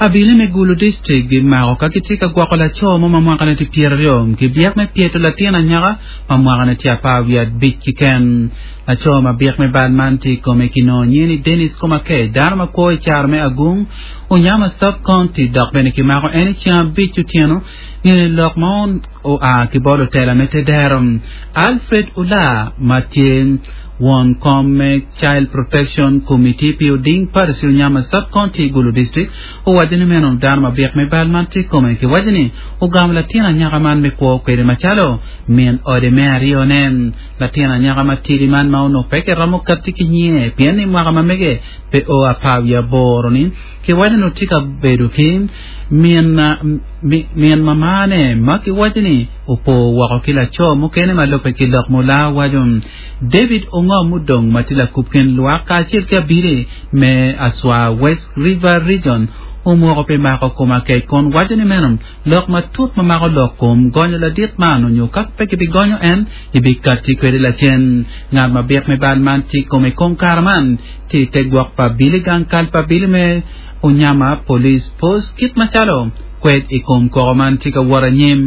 Abili me Gulu District gimako ka gitye ka gwoko laco mo ma mwakane tye pyeraryo ki byek me pyeto latin anyaka ma mwakane tye 15 keken. Laco ma byek me bal man tye i kome kinongo nyinge ni Dennis Komakech, dano ma kwo i caro me Agung, Onyama Sub-County dok bene kimako en i ceng abic otyeno nge lok ma oa ki bot lutela me tedero. Alfred Ola ma tye won kom me Child Protection Committee pi Oding Parish Onyama Sub-County Gulu District owaco ni meno dano ma byek me bal man tye i kome kiwaco ni ogamo latin anyaka man me kwo kwede macalo min ode me aryone. Latin anyaka matidi man ma onongo pe kiromo katti ki nyinge pien ni mwaka ma mege pe o 18 ni kiwaco ni tye ka bedo ki min min mamane ma kiwaco ni opo woko ki laco mukene ma lubbe ki lok mula waco. David Ongom Mudong ma tye lakub kin lwak kacel ki abili me Aswa West River Region omoko pi mako kom akec kun waco ni meno lok matut ma mako lok kom gonyo ladit man onyo ka pe kibigonyo en ibikatti kwede lacen. Ngat ma byek me bal man tye i kome i kom kare man tye i te gwok pa abili gang kal pa abili me Onyama Police Post kit macalo kwed i kom koko man tye ka wot anyim.